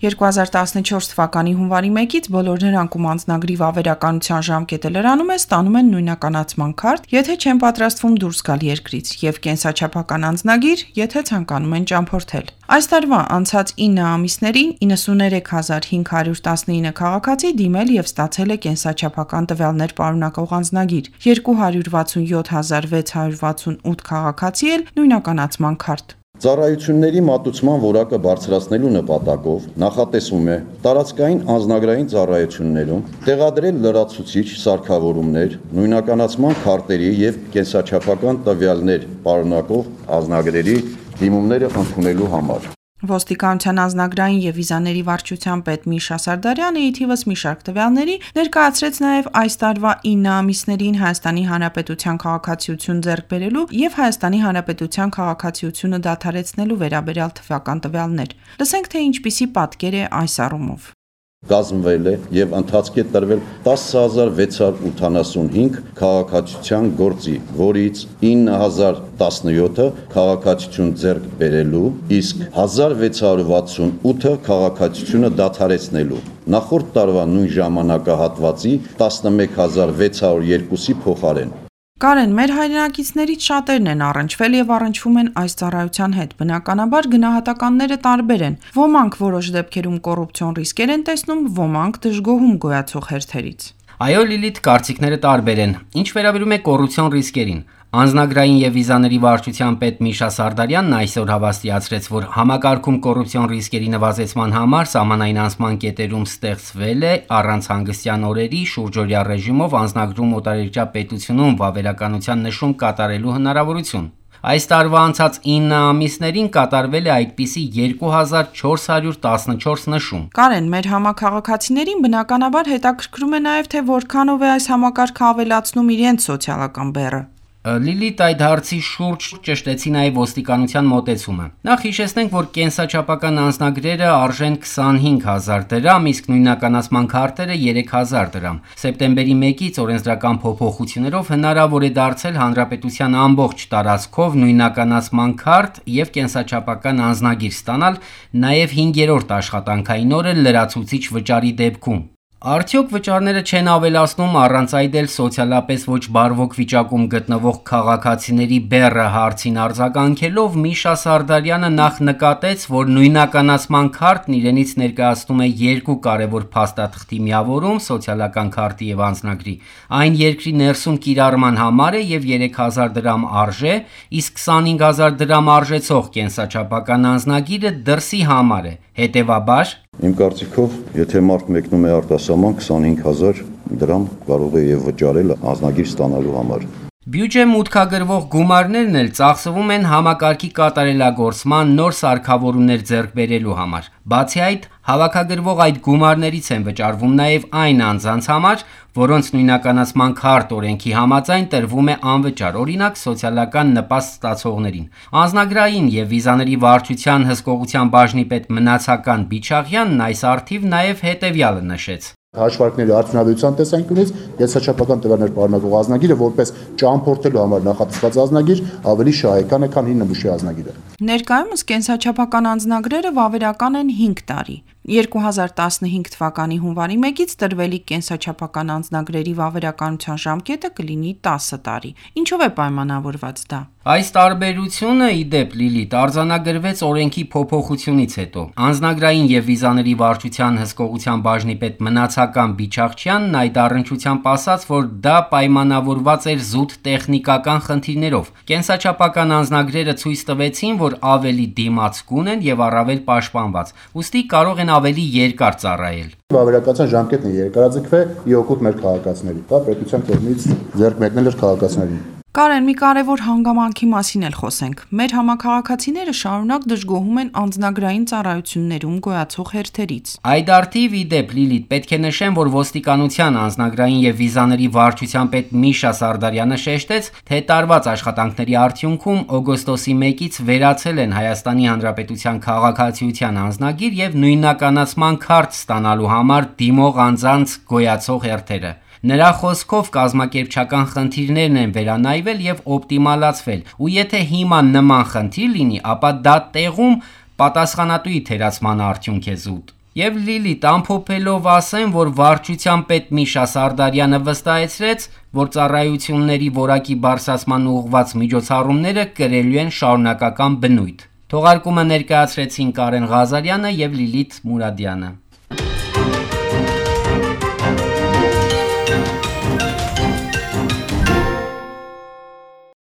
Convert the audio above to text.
2014 թվականի հունվարի 1-ից բոլոր նրանք, ում անձնագրի վավերականության ժամկետը լրանում է, ստանում են նույնականացման քարտ, եթե չեն պատրաստվում դուրս գալ երկրից, եւ կենսաչափական անձնագիր, եթե ցանկանում են ճամփորդել։ Այս տարվա անցած 9 ամիսներին 93519 քաղաքացի դիմել եւ ստացել է կենսաչափական տվյալներ պարունակող անձնագիր, 267668 քաղաքացի էլ նույնականացման քարտ։ Ծառայությունների մատուցման որակը բարձրացնելու նպատակով նախատեսվում է տարածքային անձնագրային ծառայություններում տեղադրել լրացուցիչ սարքավորումներ նույնականացման քարտերի եւ կենսաչափական տվյալներ պարունակող անձնագրերի դիմումները ընդունելու համար։ Ոստիկանության անձնագրային եւ վիզաների վարչության պետ Միշա Սարդարյանը ի թիվս մի շարք տվյալների ներկայացրեց նաեւ այս տարվա 9 ամիսներին Հայաստանի Հանրապետության քաղաքացիություն ձեռք բերելու եւ Հայաստանի Հանրապետության քաղաքացիությունը դադարեցնելու վերաբերյալ թվական տվյալներ։ Լսենք, թե ինչպիսի պատկեր է այս առումով։ Կազմվել է եւ ընթացքի է տրվել 10685 քաղաքացիության գործի, որից 9017-ը քաղաքացիություն ձեռք բերելու, իսկ 1668-ը քաղաքացիությունը դադարեցնելու։ Նախորդ տարվա նույն ժամանակահատվածի 11602-ի փոխարեն։ Կարեն, մեր հայրենակիցներից շատերն են առնչվել եւ առնչվում են այս ծառայության հետ։ Բնականաբար գնահատականները տարբեր են։ Ոմանք որոշ դեպքերում կոռուպցիոն ռիսկեր են տեսնում, ոմանք դժգոհում գոյացող հերթերից։ Այո, Լիլիթ, կարծիքները տարբեր են։ Ինչ վերաբերում է կոռուպցիոն ռիսկերին, Անձնագրային եւ վիզաների վարչության պետ Միշա Սարդարյանն այսօր հավաստիացրեց, որ համակարգում կոռուպցիոն ռիսկերի նվազեցման համար սահմանային անցման կետերում ստեղծվել է առանց հանգստյան օրերի շուրջօրյա ռեժիմով անձնագրում օտարերկրյա պետությունում վավերականության նշում կատարելու հնարավորություն։ Այս տարվա անցած 9 ամիսներին կատարվել է այդպիսի 2414 նշում։ Կարեն, մեր համաքաղաքացիներին բնականաբար հետաքրքրում է նաև թե որքանով է այս համակարգը ավելացնում իրենց սոցիալական բեռը։ Լիլիթ այդ հարցի շուրջ ճշտեցի նաև ոստիկանության մոտեցումը։ Նախ հիշեցնենք, որ կենսաչափական անձնագրերը արժեն 25000 դրամ, իսկ նույնականացման քարտերը 3000 դրամ։ Սեպտեմբերի 1-ից օրենսդրական փոփոխություններով հնարավոր է դարձել հանրապետության ամբողջ տարածքով նույնականացման քարտ եւ կենսաչափական անձնագիր ստանալ նաև 5-րդ աշխատանքային օրը լրացուցիչ վճարի դեպքում։ Արդյոք վճարները չեն ավելացնում առանց այդ էլ սոցիալապես ոչ բարվոք վիճակում գտնվող քաղաքացիների բեռը հարցին արձագանքելով Միշա Սարդարյանը նախ նկատեց, որ նույնականացման քարտն իրենից ներկայացնում է երկու կարևոր փաստաթղթի միավորում սոցիալական քարտի եւ անձնագրի։ Այն երկրի ներսում կիրառման համար է եւ 3000 դրամ արժե, իսկ 25000 դրամ արժեցող կենսաչափական անձնագիրը դրսի համար է։ Հետևաբար Իմ կարծիքով, եթե մարդ մեկնում է արտասահման 25000 դրամ կարող է եւ վճարել անձնագիր ստանալու համար։ Բյուջե մուտքագրվող գումարներն էլ ծախսվում են համակարգի կատարելագործման նոր սարքավորումներ ձեռք բերելու համար։ Բացի այդ, հավաքագրվող այդ գումարներից են վճարվում նաև այն անձանց համար, որոնց նույնականացման քարտ օրենքի համաձայն տրվում է անվճար, օրինակ սոցիալական նպաստ ստացողներին։ Անձնագրային եւ վիզաների վարչության հսկողության բաժնի պետ Մնացական Բիչաղյանն այս առթիվ նաև հետևյալը նշեց. Հաշվարկների արդյունավետության տեսանկյունից կենսաչափական տվյալներ պարունակող անձնագիրը որպես ճամփորդելու համար նախատեսված անձնագիր ավելի շահեկան է, քան 9 նմուշի անձնագիրը։ Ներկայումս կենսաչափական անձնագրերը վավերական են 5 տարի։ 2015 թվականի հունվարի 1-ից տրվելիք կենսաչափական անձնագրերի վավերականության ժամկետը կլինի 10 տարի։ Ինչով է պայմանավորված դա։ Այս տարբերությունը ի դեպ Լիլիթ արձանագրվեց օրենքի փոփոխությունից հետո։ Անձնագրային եւ վիզաների վարչության հսկողության բաժնի պետ Մնացական Բիչաղյանն այդ առնչությամբ ասաց, որ դա պայմանավորված էր զուտ տեխնիկական խնդիրներով։ Կենսաչափական անձնագրերը ցույց տվեցին, որ ավելի դիմացկուն են եւ առավել պաշտպանված, ուստի կարող են ավելի երկար ծառայել։ Վավերականության ժամկետն է երկարաձգվել ի օգուտ մեր քաղաքացիների։ Դա պետության կողմից ձեռք մեկնել էր քաղաքացիներին։ Կարեն, մի կարևոր հանգամանքի մասին էլ խոսենք։ Մեր համաքաղաքացիները շարունակ դժգոհում են անձնագրային ծառայություններում գոյացող հերթերից։ Այդ արդիվ ի դեպ Լիլիթ պետք է նշեմ, որ ոստիկանության անձնագրային եւ վիզաների վարչության պետ Միշա Սարդարյանը շեշտեց, թե տարված աշխատանքների արդյունքում օգոստոսի 1-ից վերացել են Հայաստանի Հանրապետության քաղաքացիության անձնագիր եւ նույնականացման քարտ ստանալու համար դիմող անձանց գոյացող հերթերը։ Նրա խոսքով կազմակերպչական խնդիրներն են վերանայվել եւ օպտիմալացվել, ու եթե հիմա նման խնդիր լինի, ապա դա տեղում պատասխանատուի թերացման արդյունք է զուտ։ Եվ Լիլիթ ամփոփելով ասեն, որ վարչության պետ Միշա Սարդարյանը վստահեցրեց, որ ծառայությունների որակի բարձրացման ուղղված միջոցառումները կրելու են շարունակական բնույթ։ Թողարկումը ներկայացրեցին Կարեն Ղազարյանը եւ Լիլիթ Մուրադյանը։